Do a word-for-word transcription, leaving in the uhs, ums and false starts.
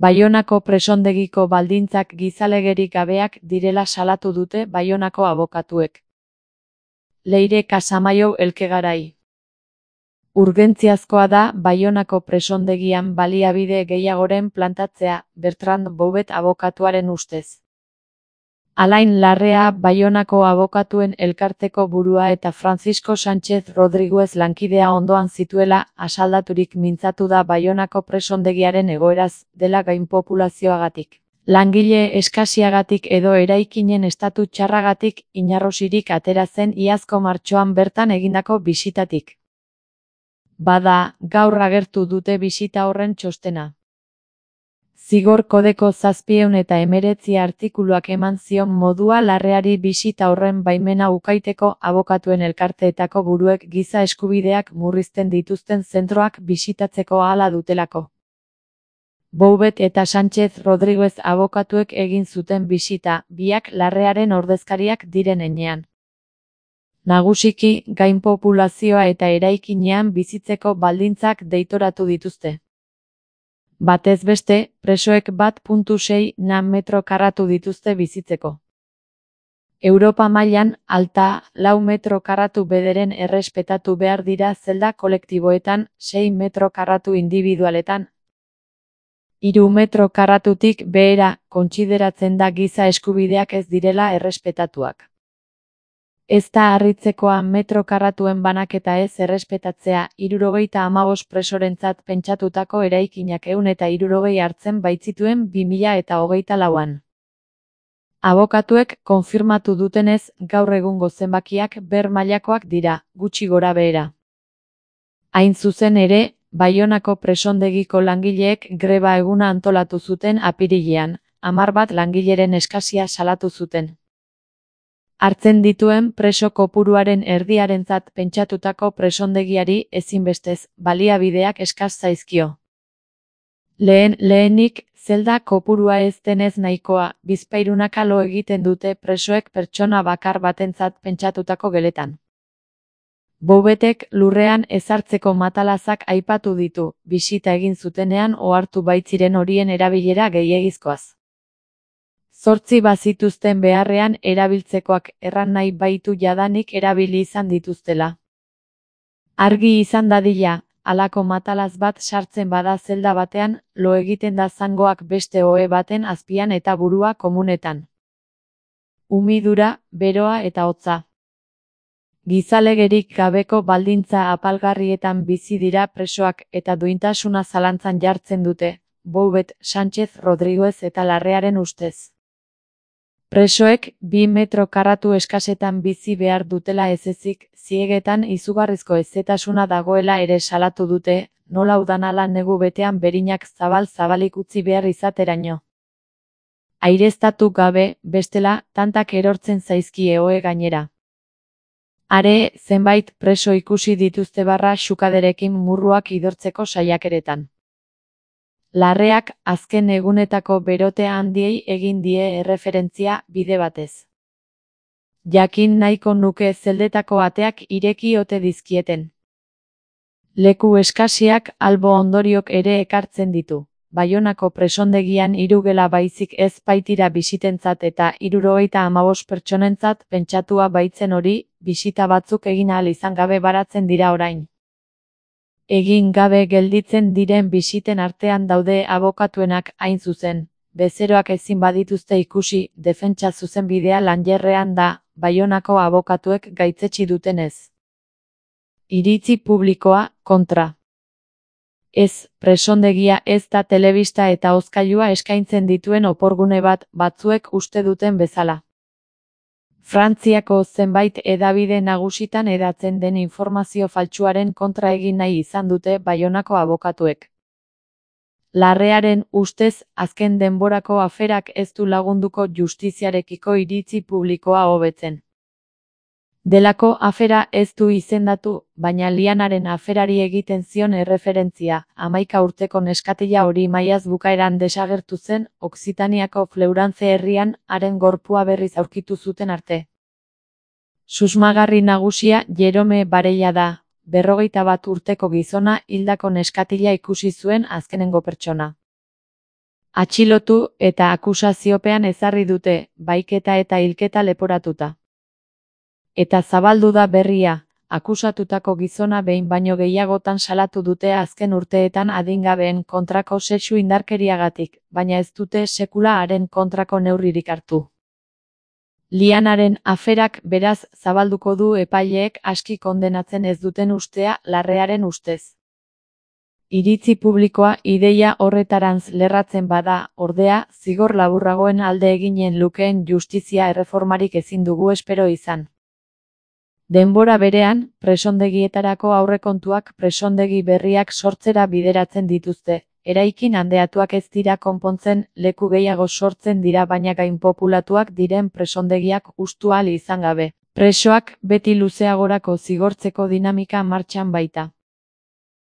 Baionako presondegiko baldintzak gizalegerik gabeak direla salatu dute Baionako abokatuek. Leire Casamaiu Elkegarai. Urgentziazkoa da Baionako presondegian baliabide gehiagoren plantatzea, Bertrand Bouvet abokatuaren ustez. Alain Larrea Baionako abokatuen elkarteko burua eta Francisco Sánchez Rodríguez lankidea ondoan zituela asaldaturik mintzatu da Baionako presondegiaren egoeraz dela gainpopulazioagatik. Langile eskasiagatik edo eraikinen estatu txarragatik inarrosirik atera zen iazko martxoan bertan egindako bisitatik. Bada, gaur agertu dute bisita horren txostena. Zigor kodeko zazpiehun eta hemeretzi artikuluak eman zion modua Larreari bisita horren baimena ukaiteko abokatuen elkarteetako buruek giza eskubideak murrizten dituzten zentroak bisitatzeko ahala dutelako. Bouvet eta Sánchez Rodríguez abokatuek egin zuten bisita, biak Larrearen ordezkariak diren enean. Nagusiki, gainpopulazioa eta eraikinean bizitzeko baldintzak deitoratu dituzte. Batez beste, presoek bat puntu sei na metro karratu dituzte bizitzeko. Europa mailan, alta, lau metro karratu bederen errespetatu behar dira zelda kolektiboetan, sei metro karratu individualetan. Hiru metro karratutik behera, kontsideratzen da giza eskubideak ez direla errespetatuak. Ez da harritzekoa metro karratuen banaketa ez errespetatzea, hirurogeita hamabost presorentzat pentsatutako eraikinak ehun eta hirurogei hartzen baitzituen bi mila eta hogeita lauan. Abokatuek konfirmatu dutenez, gaur egungo zenbakiak ber mailakoak dira, gutxi gora behera. Hain zuzen ere, Baionako presondegiko langileek greba eguna antolatu zuten apirilean, hamar bat langileren eskasia salatu zuten. Hartzen dituen preso kopuruaren erdiarentzat pentsatutako presondegiari ezinbestez baliabideak eskas zaizkio. Lehen lehenik, zelda kopurua ez denez nahikoa, bizpahirunak lo egiten dute presoek pertsona bakar batentzat pentsatutako geletan. Bouvetek lurrean ezartzeko matalazak aipatu ditu, bisita egin zutenean ohartu baitziren horien erabilera gehiegizkoaz. Zortzi bazituzten beharrean erabiltzekoak erran nahi baitu jadanik erabili izan dituztela. Argi izan dadila, halako matalaz bat sartzen bada zelda batean, lo egiten da zangoak beste ohe baten azpian eta burua komunetan. Umidura, beroa eta hotza. Gizalegerik gabeko baldintza apalgarrietan bizi dira presoak eta duintasuna zalantzan jartzen dute, Bouvet, Sánchez Rodríguez eta Larrearen ustez. Presoek bi metro karratu eskasetan bizi behar dutela ez ezik, ziegetan izugarrizko hezetasuna dagoela ere salatu dute, nola udanala negu betean berinak zabal-zabalik utzi behar izateraino. Aireztatu gabe, bestela, tantak erortzen zaizkie ohe gainera. Are, zenbait preso ikusi dituzte barra xukaderekin murruak idortzeko saiakeretan. Larreak azken egunetako berote handiei egin die erreferentzia bide batez. Jakin nahiko nuke zeldetako ateak ireki ote dizkieten. Leku eskasiak albo ondoriok ere ekartzen ditu. Baionako presondegian hiru gela baizik ez baitira bisitentzat eta hirurogeita hamabost pertsonentzat pentsatua baitzen hori, bisita batzuk egin ahal izan gabe baratzen dira orain. Egin gabe gelditzen diren bisiten artean daude abokatuenak hain zuzen, bezeroak ezin badituzte ikusi, defentsa zuzenbidea lanjerrean da, Baionako abokatuek gaitzetsi dutenez. Iritzi publikoa, kontra. Ez, presondegia ez da telebista eta hozkailua eskaintzen dituen oporgune bat, batzuek uste duten bezala. Frantziako zenbait hedabide nagusitan hedatzen den informazio faltsuaren kontra egin nahi izan dute Baionako abokatuek. Larrearen ustez, azken denborako aferak ez du lagunduko justiziarekiko iritzi publikoa hobetzen. Delako afera ez du izendatu, baina Lianaren aferari egiten zion erreferentzia, hamaika urteko neskatila hori maiaz bukaeran desagertu zen, Okzitaniako Fleurance herrian, haren gorpua berriz aurkitu zuten arte. Susmagarri nagusia Jerome Barella da, berrogeita bat urteko gizona hildako neskatila ikusi zuen azkenengo pertsona. Atxilotu eta akusaziopean ezarri dute, baiketa eta hilketa leporatuta. Eta zabaldu da berria, akusatutako gizona behin baino gehiagotan salatu dute azken urteetan adingabeen kontrako sexu indarkeriagatik, baina ez dute sekula haren kontrako neurririk hartu. Lianaren aferak beraz zabalduko du epaileek aski kondenatzen ez duten ustea larrearen ustez. Iritzi publikoa ideia horretarantz lerratzen bada, ordea, zigor laburragoen alde eginen lukeen justizia erreformarik ezin dugu espero izan. Denbora berean, presondegietarako aurrekontuak presondegi berriak sortzera bideratzen dituzte, eraikin handeatuak ez dira konpontzen, leku gehiago sortzen dira baina gainpopulatuak diren presondegiak hustu ahal izan gabe. Presoak beti luzeagorako zigortzeko dinamika martxan baita.